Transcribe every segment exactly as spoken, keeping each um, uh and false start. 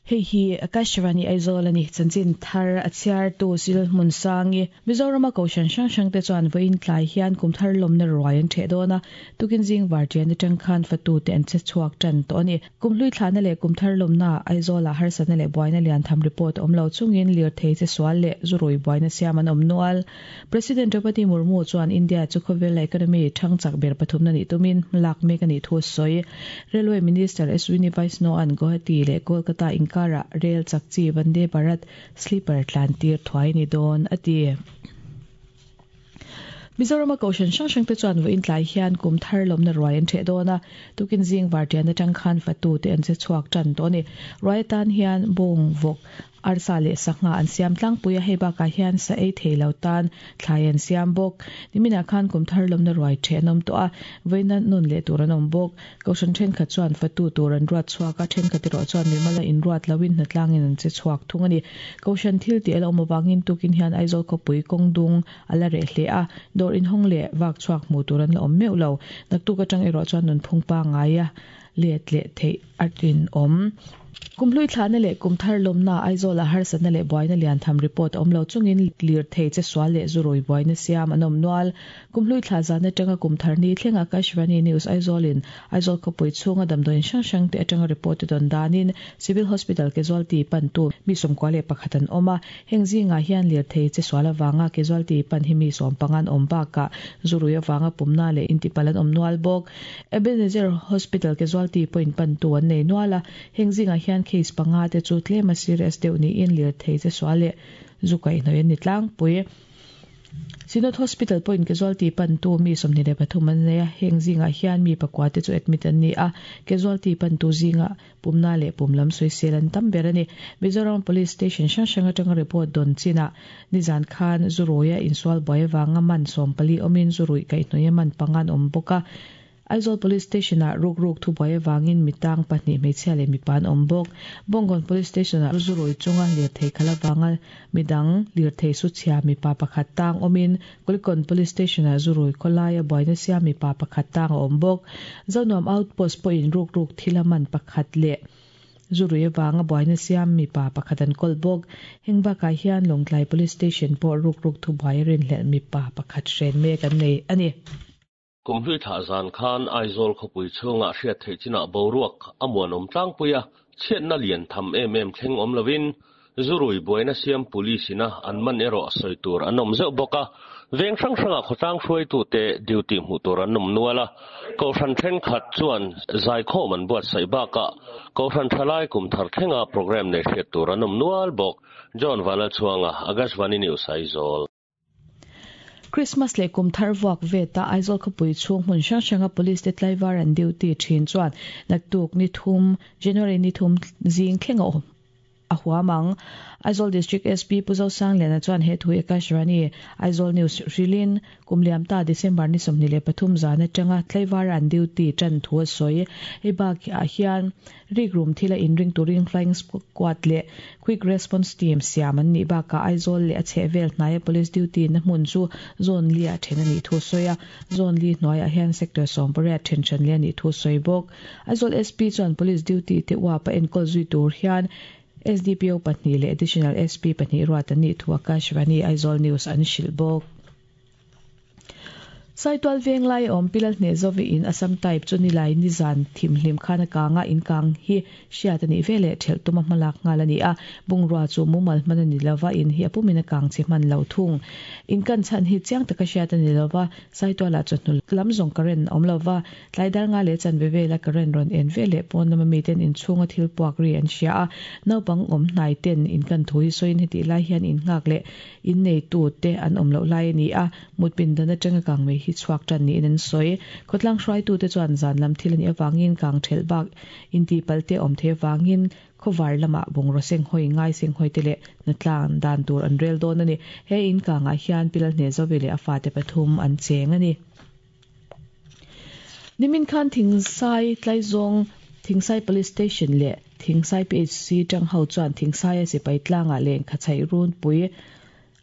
Hei hi Akashvani Aizawl ani chanchin thar a chhiar tu sil hmun sangi Mizoram a kohhran hrang hrang te chuan vawiin tlai hian kum thar lawmna ruai an theh dawn a tukin zing vartian atang khan fatu te an che chhuak tan tawh ani kumhlui thlahna leh kum thar lawmna Aizawl ah harsatna leh buaina lian tham report awm lo chungin lirthei che sual leh zurui buaina siam an awm nual President Draupadi Murmu chuan India chu khawvel economy thang chak ber pathumna ni tumin lak mek ani thu sawi Railway Minister Ashwini Vaishnaw an Guwahati leh Kolkata in kara rail chakchi Vande Bharat sleeper tlantir thuai ni dawn ati Mizoram a kohhran hrang hrang te chuan vawiin tlai hian kum thar lawmna ruai an theh dawn a tukin zing vartian atang khan fatu te an che chhuak tan tawh ani ruai atan hian bawng vawk arsa leh sangha an siam tlangpui a hei bakah hian sa ei thei lo tan thlai an siam bawk niminah khan kum thar lawmna ruai theh an awm tawh a vawiin nun leh tur an awm bawk kohhran thenkhat chuan fatu tur an ruat chhuak a thenkhat erawh chuan mimala in ruat loin hnatlangin an che chhuak thung ani kohhran thil tih a la awm awangin tukin hian Aizawl khawpui kawngdung a la reh hle a dawr in hawng leh vak chhuak hmuh tur an la awm meuh lo naktuk atang erawh chuan nun phung pa ngai a let leh theih a rin awm Kumhlui thlahna leh kum thar lawmna Aizawl ah harsatna leh buaina lian tham report awm lo chungin lirthei che sual leh zurui buaina siam an awm nual kumhlui thlah zan atanga kum thar ni thlenga Akashvani News Aizawl in Aizawl khawpui chhunga damdawiin hrang hrang te atanga report te dawn danin Civil Hospital casualty pan tu mi sawmkua leh pakhat an awm a heng zingah hian lirthei che sual awanga casualty pan hi mi sawm pangan awm bakah zurui awanga pumna leh intipal an awm nual bawk Ebenezer Hospital casualty point pan tu an nei nual a heng zingah hian case panga te chu tlema serious deuh niin lirthei che sual leh zukai hnawih an ni tlangpui Synod Hospital point casualty pan tu mi sawmhnih leh pathum an nei a heng zingah hian mi pakua te chu admit an ni a casualty pan tu zinga pumna leh pum lam sawisel an tam ber ani Mizoram Police Station hrang hrang atanga report dawn chinah nizan khan zuruia insual buai awanga man sawm pali awmin zurui kaihhnawih a man pangan awm bawk a Aizawl Police Station ah ruk ruk thu buai awangin mitang pahnih hmeichhia leh mipa an awm bawk Bawngkawn Police Station ah zurui chunga lirthei khalh awanga midang lirthei su chhia mipa pakhat tang awmin Kulikawn Police Station ah zurui khawlaia buaina siam mipa pakhat tang a awm bawk Zonuam Outpost pawhin ruk ruk thil a man pakhat leh zurui awanga buaina siam mipa pakhat an kawl bawk heng bakah hian Lawngtlai Police Station pawh ruk ruk thu buai a rinhlelh mipa pakhat hren mek an nei ani. Kumhlui thlah zan khan Aizawl khawpui chhungah hriat theih chinah boruak a muan awm tlangpui a chhiatna lian tham em em thleng awm lovin zurui buaina siam police ina an man erawh sawi tur an awm zeuh bawk a veng hrang hrangah khawtlang hruaitu te duty hmuh tur an awm nual a kohhran thenkhat chuan zaikhawm an buatsaih bakah kohhran thalai kum thar thlenga program nei hriat tur an awm nual bawk John Vanlalchhuanga Akashvani News Aizawl. Christmas leh kum thar vuak vet a Aizawl khawpui chhung hmun hrang hranga police te tlaivar an duty thin chuan naktuk ni thum January ni thum zing thlenga awm a huamang Aizawl District S P Puzo Sangliana chuan he thu Akashvani Aizawl News hrilin kumliam ta December ni sawmhnih leh pathum zan atanga tlaivar an duty tan thu a sawi hei bak ah hian rik room thila in ring turin flying squad leh quick response team siam an nih bakah Aizawl leh a chhehvel hnaia police duty na hmun chu zone li ah then ani thu sawi a zone li hnuaiah hian sector sawm pariat then then le ani thu sawi bawk Aizawl S P chuan police duty te uapa enkawl zui tur hian S D P O pahnih leh additional S P pahnih ruat an nih thu Akashvani Aizawl News an hrilh bawk. Saitual veng lai awm pilal hne zovi in Assam type chu ni lai ni zan thim hlim khan a kanga in kang hi hriat ani vele thelh tuma hmalak ngal ani a bungrua chu mumal hman ani lova in hi apumin a kang chi hman lo thung in kan chan hi chiang taka hriat ani lova Saituala chu hnu lam zawng current awm lova tlaidar nga leh chan ve vela current rawn en vele pawn lama mi ten in chhunga thil puak ri an hria a naupang awm hnai ten in kan thu hi sawiin heti lai hian in nghak leh in nei tu te an awm loh lai ani a mutpin dan atanga kang mei hi chhuak tan ni in an sawi khawtlang hruai tu te chuan zan lam thil ani awangin kang thelh bak in ti pal te awm the wangin khawvar lama bungraw seng hawi ngai seng hawi te leh natlang dan tur an rel dawn ani he in kangah hian pilal hne zovi leh a fa te pathum an cheng ani nimin khan Thingsai Tlaizawng Thingsai Police Station leh Thingsai P H C tang ho chuan Thingsai a sipai tlangah leng khachai run pui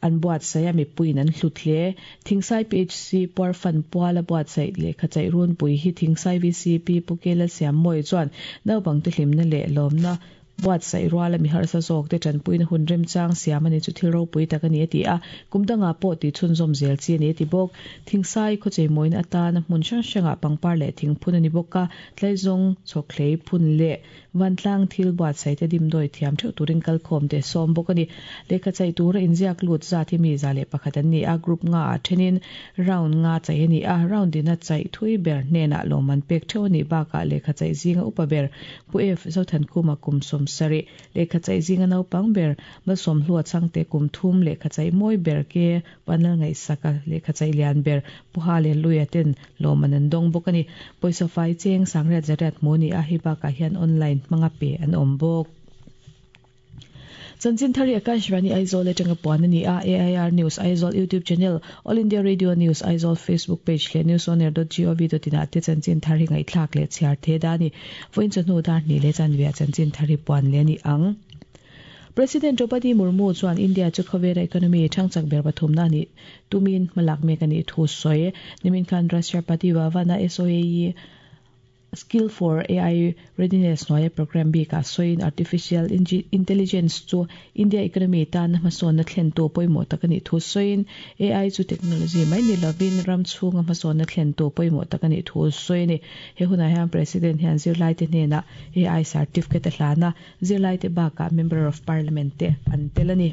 An buat sai a mipuiin an hlut hle. Thingsai P H C puarfan puala buatsaih lehkha chaih runpui hi Thingsai V C P Pu Kela Siammawi chuan naupangte hlimna leh lawmna buatsaih ruala mi harsa zawk te tanpuina hun remchang siam ani chu thil ropui tak ani a ti a, kum dangah pawh ti chhunzawm zel chi ani a ti bawk. Thingsai khawchei mawina atana hmun hrang hrangah pangpar leh thing phun ani bawk a, tlaizawng chhawkhlei phun leh vantlang thil buatsaih te dimdawi thiam theuh turin kalkhawm te sawm bawk ani. Lehkha chaih tura inziak lut zat hi mi za leh pakhat an ni a, group nga ah thenin round nga chaih ani a, round ina chaih thui ber hnenah lawmman pek theuh anih bakah lehkha chaih zinga upa ber Pu F Zothankhuma kum sawm sarih, lehkha chaih zinga naupang ber Malsawmhlua Chhangte kum thum, lehkha chaih mawi ber ke Vanlal Ngaihsaka, lehkha chaih lian ber Pu Hallelujah ten lawmman an dawng bawk ani. Pawisa fai cheng sangriat zariat hmu ani a, hei bakah hian online hmanga pe an awm bawk. Chanchin thar hi Akashvani Aizawl atanga puan a ni a, A I R News Aizawl YouTube channel, All India Radio News Aizawl Facebook page leh newsonair dot gov dot in ah te chanchin thar hi ngaihthlak leh chhiar the da a ni. Vawiin chawhnu dar hnih leh chanve ah chanchin thar hi puan leh a ni ang. President Draupadi Murmu chuan India chu khawvela economy thangchak ber pathumna a nih tumin hmalak mek a nih thu sawi. Nimin khan Rashtrapati Bhavan-a S O A E Skill for A I Readiness hnuaia program bikah sawiin artificial intelligence chu India economy tana hmasawnna thlentu pawimawh tak a nih thu sawiin A I chu technology mai ni lovin ram chhunga hmasawnna thlentu pawimawh tak a nih thu sawi a ni. He hunah hian President hian zirlai te hnenah A I certificate a hlan a, zirlai te bakah Member of Parliament te an tel a ni.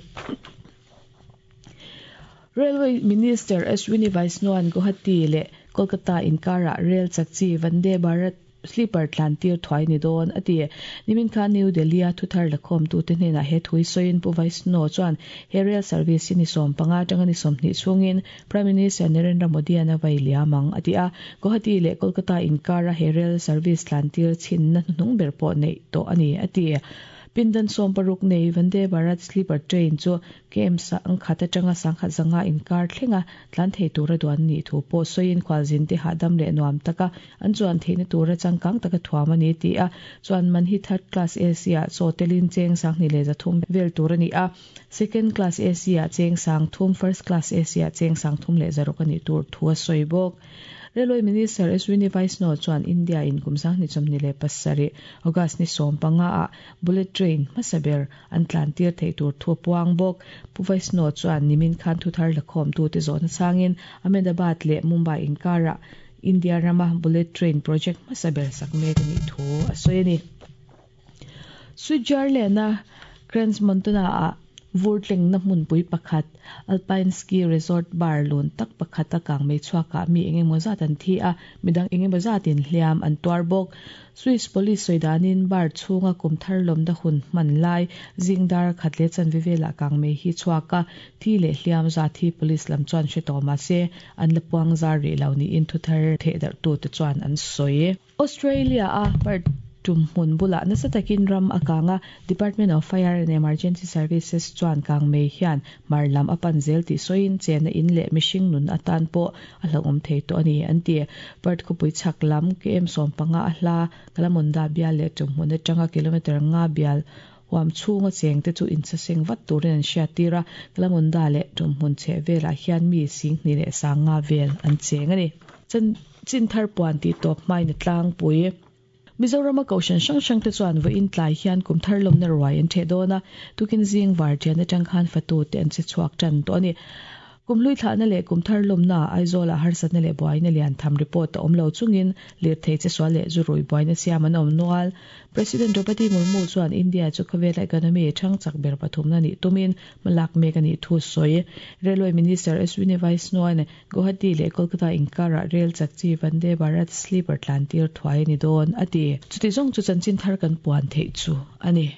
Railway Minister Ashwini Vaishnaw-a'n Guwahati leh Kolkata inkarah rail chak chi Vande Bharat sleeper tlan tir thuai ni dawn a ti. Nimin khan New Delhi a thuthar lakhawm tu te hnenah he thui sawiin Pu Vaishnaw chuan he rail service hi ni sawm panga atanga ni sawmhnih chhungin Prime Minister Narendra Modi an a vai liam ang a ti a. Guwahati leh Kolkata inkara he rail service tlan tir chhinna hnuhnung ber pawh neih tawh a ni a ti. Pindan sawm paruk nei Vande Bharat sleeper train chu K M sangkhat atanga sangkhat zanga inkar thlenga tlan thei tura duan ni thu pawh sawiin khualzin te hahdam leh nuam taka an chuan theihna tura changkang taka thuam a ni ti a. Chuan man hi third class A C ah chaw telin cheng sanghnih leh zathum vel tur a ni a, second class A C ah cheng sang thum, first class A C ah cheng sang thum leh zaruk a nih tur thu a sawi bawk. Railway Minister Ashwini Vaishnaw chuan India in kum sanghnih chawmhnih leh pasarih August ni sawm panga ah bullet train hmasa ber an tlan tir thei tur thu a puang bawk. Pu Vaishnaw chuan nimin khan thuthar lakhawm tu te zawhna changin Ahmedabad leh Mumbai inkara India rama bullet train project hmasa ber sak mek a nih thu a sawi a ni. Switzerland-a Crans Montana ah vurtleng na hmunpui pakhat Alpine Ski Resort bar lun tak pakhat a kangmei chhuakah mi engemaw zat an thi a, midang engemaw zatin hliam an tuar bawk. Swiss police sawidanin bar chhunga kum thar lawmna hun hman lai zingdar khat leh chanve velah kangmei hi chhuak a, thi leh hliam zat hi police lam chuan hre tawh mahse an la puang zar rih lo niin thuthar thehdarh tu te chuan an sawi. Australia a Perth tum hmun bulah nasa takin ram a kang a, Department of Fire and Emergency Services chuan kangmei hian mar lam a pan zel tih sawiin chenna in leh mihring nun atan pawh a hlauhawm thei tawh a ni an ti. Perth khawpui chhak lam K M sawm panga a hla Kalamunda bial leh tum hmun atanga kilometer nga bial huam chhunga cheng te chu insaseng vat turin an hriat tir a, Kalamunda leh tum hmun chheh velah hian mi singhnih leh sanga vel an cheng a ni. Chin thar puan tih tawp hmain a tlangpui. Mizoram a kohhran hrang hrang te chuan vawiin tlai hian kum thar lawmna ruai an ṭheh dawn a, tukin zing varṭian atang khan fatu te an che chhuak ṭan tawh a ni. Kum hlui thlahna leh kum thar lawmna Aizawlah harsatna leh buaina lian tham report a awm lo chungin lirthei che sual leh zu rui buaina siam an awm nual. President Draupadi Murmu chuan India chu khawvela economy thangchak ber pathumna nih tumin hmalak mek a nih thu sawi. Railway Minister Ashwini Vaishnaw Guwahati leh Kolkata inkarah rail chak chi Vande Bharat sleeper tlan tir thuai a ni dawn a ti. Chuti zawng chu chanchin thar kan puan theih chu a ni.